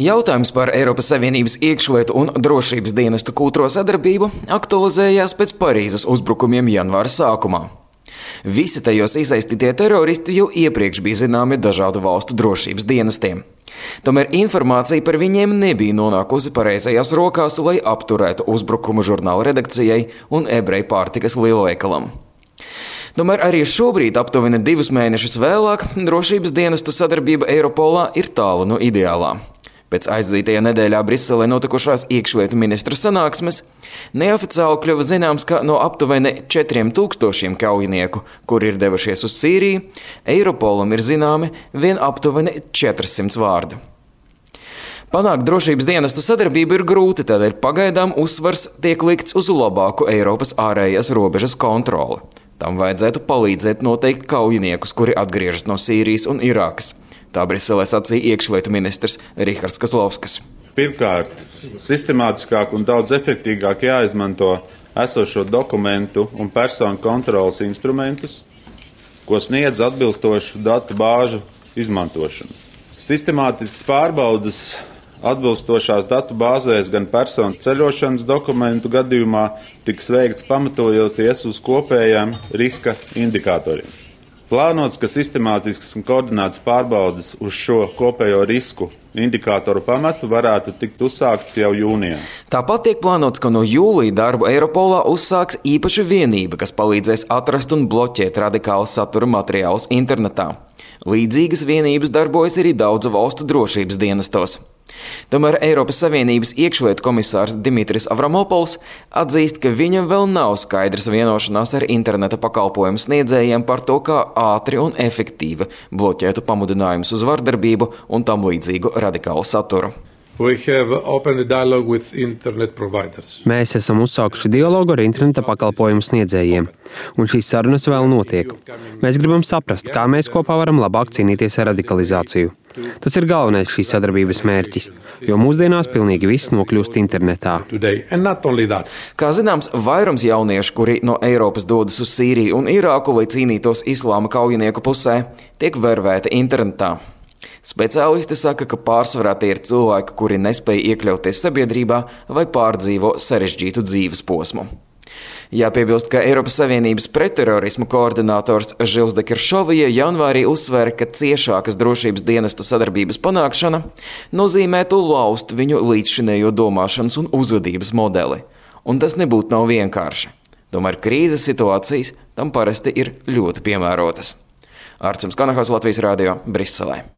Jautājums par Eiropas Savienības iekšlietu un drošības dienestu kultūro sadarbību aktualizējās pēc Parīzes uzbrukumiem janvāra sākumā. Visi tajos iesaistītie teroristi jau iepriekš bija zināmi dažādu valstu drošības dienestiem. Tomēr informācija par viņiem nebija nonākusi pareizajās rokās, lai apturētu uzbrukumu žurnāla redakcijai un ebreju pārtikas lielveikalam. Tomēr arī šobrīd, aptuveni 2 mēnešus vēlāk, drošības dienestu sadarbība Eiropolā ir tālu no ideālā. Pēc aizdītajā nedēļā Briselē notikušās iekšlietu ministru sanāksmes neoficiāli kļuva zināms, ka no aptuveni 4000 kaujinieku, kuri ir devušies uz Sīriju, Eiropolam ir zināmi vien aptuveni 400 vārdi. Panākt drošības dienestu sadarbību ir grūti, tādēļ pagaidām uzsvars tiek likts uz labāku Eiropas ārējās robežas kontroli. Tam vajadzētu palīdzēt noteikt kaujiniekus, kuri atgriežas no Sīrijas un Irākas. Tā Briselē sacīja iekšlietu ministrs Rihards Kozlovskis. Pirmkārt, sistemātiskāk un daudz efektīgāk jāizmanto esošo dokumentu un personu kontrolas instrumentus, ko sniedz atbilstošu datu bāžu izmantošanu. Sistemātisks pārbaudas atbilstošās datu bāzēs gan personu ceļošanas dokumentu gadījumā tiks veikts pamatojoties uz kopējām riska indikatoriem. Plānots, ka sistemātisks un koordinēts pārbaudes uz šo kopējo risku indikātoru pamatu varētu tikt uzsākts jau jūnijā. Tāpat tiek plānots, ka no jūlija darbu Eiropolā uzsāks īpaša vienība, kas palīdzēs atrast un bloķēt radikālu satura materiālus internetā. Līdzīgas vienības darbojas arī daudzu valstu drošības dienestos. Tomēr Eiropas Savienības iekšlietu komisārs Dimitris Avramopols atzīst, ka viņam vēl nav skaidrs vienošanās ar interneta pakalpojumu sniedzējiem par to, kā ātri un efektīvi bloķētu pamudinājumus uz vardarbību un tam līdzīgu radikālu saturu. Mēs esam uzsākuši dialogu ar interneta pakalpojumu sniedzējiem, un šīs sarunas vēl notiek. Mēs gribam saprast, kā mēs kopā varam labāk cīnīties ar radikalizāciju. Tas ir galvenais šīs sadarbības mērķis, jo mūsdienās pilnīgi viss nokļūst internetā. Kā zināms, vairums jauniešu, kuri no Eiropas dodas uz Sīriju un Irāku, lai cīnītos islāma kaujinieku pusē, tiek vervēti internetā. Speciālisti saka, ka pārsvarā tie ir cilvēki, kuri nespēj iekļauties sabiedrībā vai pārdzīvo sarežģītu dzīves posmu. Jāpiebilst, ka Eiropas Savienības pretterorismu koordinators Žils de Kiršovija janvārī uzsvēra, ka ciešākas drošības dienestu sadarbības panākšana nozīmētu laust viņu līdzšinējo domāšanas un uzvedības modeli. Un tas nebūtu nav vienkārši. Tomēr krīzes situācijas tam parasti ir ļoti piemērotas. Arčuns Kanahos, Latvijas radio, Briselē.